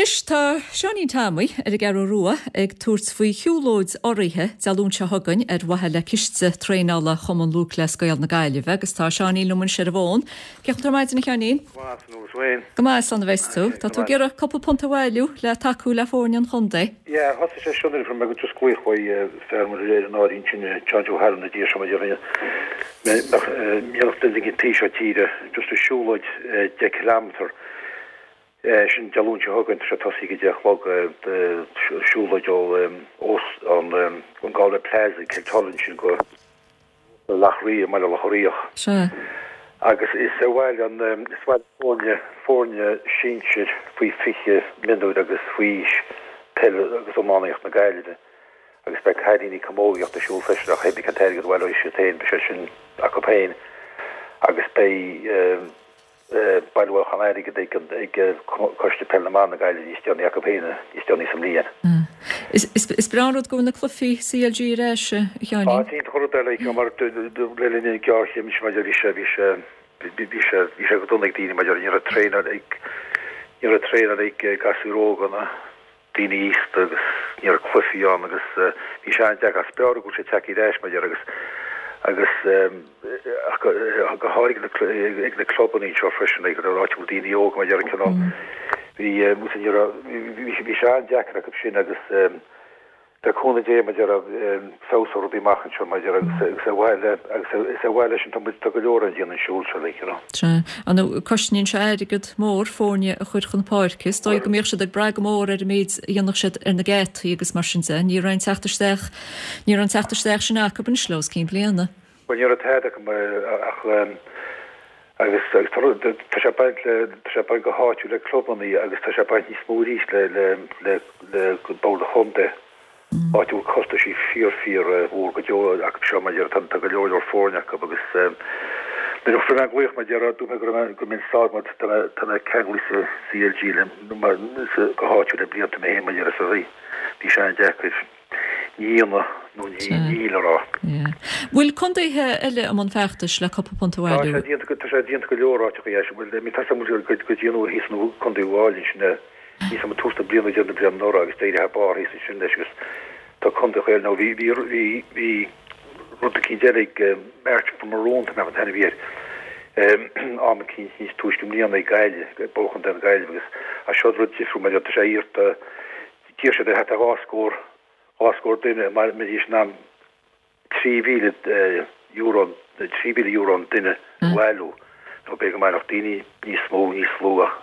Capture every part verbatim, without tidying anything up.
Anois tá Seáinín Tommy ar an gCeathrú Rua ag tabhairt faoi shiúlóid urraithe Dé Luain seo chugainn ar mhaithe le ciste traenála Chumann Lúthchleas Gael na Gaillimhe agus tá Seáinín liom anois ar an bhfón. Cén chaoi ar maidin a Sheáinín? Go maith slán a bheas tú. Tá tú ag iarraidh cúpla punt a bhailiú le tacú le foirne an chontae. Yeah, thosaigh sé seo nuair a fuair mé go just glaoch uaidh fear mar ar an áirín sin John Joe Hallam na dtír seo mar mbeadh duine ag an taobh seo tíre just a siúlóid deich kilometre sin Dé Luain seo chugainn, tá sé tosaithe ag a deich a chlog, siúlóid ó an an Galway Plaza i Kilcullen sin go Loch Riach, i mBaile Locha Riach. Sea. Agus is ar mhaithe an is mhaith foirne foirne sinsir faoi fiche mionúir agus faoi aois peile agus iománaíocht na Gaillimhe agus beidh cailíní camógaíocht ag siúl freisin ach cibé cén t-airgead a bhaileoidh siad féin beidh sé sin acu féin agus beidh bailiúchán airgid ag ag Coiste Peile na mBan na Gaillimhe níos déanaí acu féin níos déanaí sa mbliain. Is breá an rud go bhfuil na cluichí CLG ar ais, a Sheáinín. Tá, is iontach an rud é like mar le linn an ghéarchéim sin maidir bhí sé bhí sé bhí sé bhí sé go dona ag daoine maidir ní raibh traenáil ag ní raibh traenáil ag gasúir óga ná daoine aosta agus ní raibh cluichí ann agus bhí sé an-deacair ach is breá go bhfuil sé tagtha ar ais maidir agus agus go háirithe ag na clubanna anseo freisin ag an áit a bhfuil daoine óga maidir cineál bhí ní raibh bhí sé an-deacair acu sin agus le cúnamh Dé maidir feabhsóidh rudaí amach anseo maidir agus agus ar mhaithe le agus is ar mhaithe leis an tá tá go leor an déanann siúl seo like you know. Sea. An cosnaíonn sé airgead mór foirne a chur chun páirce. Is dóigh go mbíodh siad ag brath go mór ar an méid a dhéanfadh siad ar na geataí agus mar sin de. Ní raibh an teacht isteach ní raibh an teacht isteach sin acu anois le os cionn bliana. Bhuel ní raibh tada acu ach agus agus tá sé baint le tá sé baint go háitiúil le clubanna agus tá sé baint níos mó arís le le le le bord an chontae. Áit a bhfuil costaisí fíor fíor mhór go deo acu seo maidir tá tá go leor leor foirne acu agus nuair a fuair mé an glaoch maidir dúirt mé go raibh mé go mbeinn sásta mar tá mé tá mé ceangailte sa CLG le go háitiúil le blianta mé féin maidir is a bhí bhí sé an-deacair ní ionadh nó ní níl a rá. Bhfuil contaetha eile i mbun feachtais le cúpla punt a Tá bhailiú? sé déanta tá sé déanta go leor áiteacha é bhuel mi tá go go dtí an uair thíos nó Contae Uíbh Fhailí sin níos am tús na bliana déanamh bliain anuraidh agus d'éirigh thar barr thíos ansin leis agus tá contae eile nó bhí bhí bhí bhí rud eicínt eile ag March for Maroon tá mé an t-ainm a bhí air am eicínt níos túisce i mbliana ag Gaillimh ag Bord Chontae na Gaillimhe agus as seo rud difriúil mar tá sé iarrta d'iarr siad ar thart ar dhá scór dhá scór duine mar mbeidís in ann trí mhíle euro trí mhíle euro an duine a bhailiú nó b'fhéidir go mbainfeadh daoine níos mó níos lú ach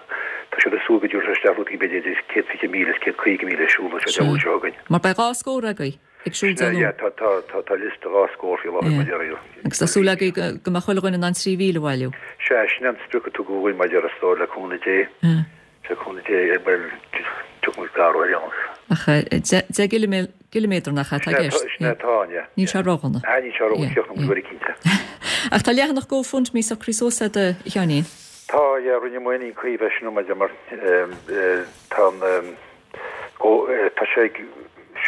tá siad ag súil go dtabharfaidh isteach rudaí b'fhéidir idir céad fiche míle is céad caoga míle siúl seo Dé Luain seo chugainn. Mar beidh dhá scór agaibh ag siúl Dé Yeah, Luain. tá tá tá tá liosta dhá scór faoi láthair mar Yeah. Agus tá súil agaibh go go mbeadh chuile dhuine in ann trí mhíle a bhailiú. Sea, sin an sprioc a tugadh dhúinn mar is dóigh le cúnamh Dé. Le cúnamh Dé bhuel tiocfaidh muid gar ar aon nós. Ach deich gciliméadar nach ea atá i gceist. Sin é atá ann, yeah. Níl sé ródhona. Ah, níl sé ródhona, críochnóidh muid go cinnte. Ach tá leathanach GoFundMe socraithe suas agat a Sheáinín. Tá, yeah, rinne mé ní cuimh sin maidir mar tá an go tá sé ag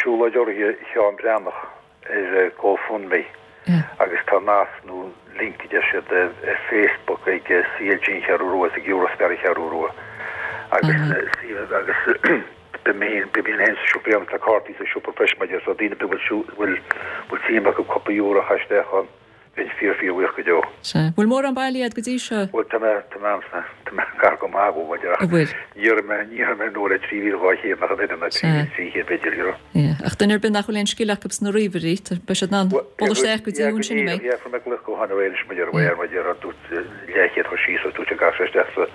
siúlóid urraithe Sheán Breathnach ar GoFundMe agus tá nasc nó link a deir siad ar Facebook ag CLG an Cheathrú Rua is ag Eurospar an Cheathrú Rua agus agus beidh mé beidh mé féin sa siopa tá cártaí sa siopa freisin maidir so daoine bhfuil bhfuil bhfuil suim acu cúpla euro a chur isteach ann bheinn fíor fíor bhuíoch go deo. Sea. Bhfuil mórán bailithe agat go dtí seo? Bhuel tá mé tá mé tá mé gar go maith go maidir ach An bhfuil? ní raibh mé ní raibh mé nó le trí mhíle dhá chéad nach an oiread ná trí mhíle trí chéad b'fhéidir you know. Yeah. Ach duine ar bith nach bhfuil aon scil acu sna ríomhairí, beidh siad in ann dul isteach go dtí ansin a mbeidh. Yeah, fuair mé glaoch gutháin aréir anois maidir ar maidir ar dúirt leathchéad chur síos agus dúirt sé gach sé isteach sa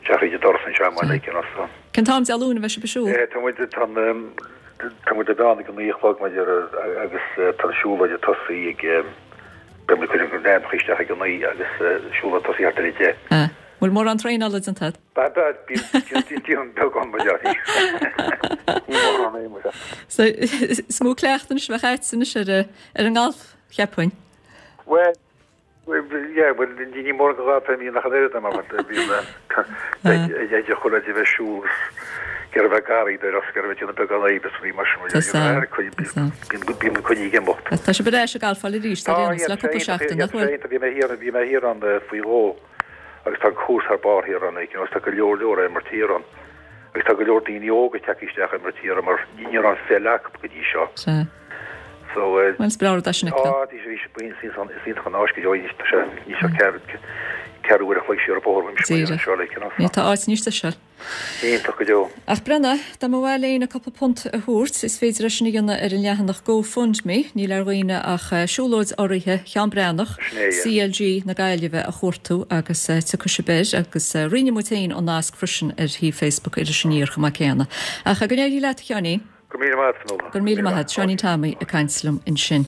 isteach tríd an doras anseo mar like you know so. Cén t-am Dé Luain a bheidh sibh ag siúl? Eh, tá muid tá tá muid ag meán ag an naoi a chlog maidir agus tá an siúlóid ag tosaí ag beidh muid ag cur na n-ainmneacha isteach ag an naoi agus siúlóid ag tosaí thart ar a deich. Ah. Bhfuil mórán traenála déanta agat? Ba ba bíonn déan beagán maidir. Ní mórán é mar. So is mó cleachtadh anois a bheadh agat anois ar ar an ngalf, cheapfainn. Well, yeah, well, ní mór go gá mí nach an oiread mar bíonn ag chun a bheith siúl gur bheith garraí de gur bheith déanamh beagán oibre is bhí mar sin bíonn coinní ag imeacht. Tá sibh ar ais ag galfáil arís ar aon nós le cúpla seachtain nach bhfuil? Bhí mé thiar bhí mé thiar ann faoi dhó agus tá an cúrsa thar barr thiar ann you know, tá go leor leor imeacht thiar ann Agus tá go leor daoine óga tagtha isteach ag imirt thiar mar ní raibh an pheil acu go dtí seo. Sea. So Bhuel, is breá rud é sin a fheiceáil. Á, bhí sé bhí sé is iontach an áis go deo anois tá sé níl sé ceathrú ceathrú uair a chloig siar an bóthar uaimse mar Díreach. anseo like you know. Ní tá áit níos deise. Iontach go deo. Ach breathnaigh, dá mba mhaith le héinne cúpla punt a thabhairt, is féidir é sin a dhéanamh ar an leathanach GoFundMe, níl ar dhaoine ach Siúlóid Urraithe Sheán Breathnach, Sin é, yeah. CLG na Gaillimhe a chuartú agus tiocfaidh sibh air agus roinnfidh muid féin an nasc freisin ar shuíomh Facebook Iris Aniar chomh maith céanna. Ach go n-éirí leat a Sheáinín. Go míle maith, Fionnuala. Go míle maith, Seáinín Tommy ag caint liom ansin.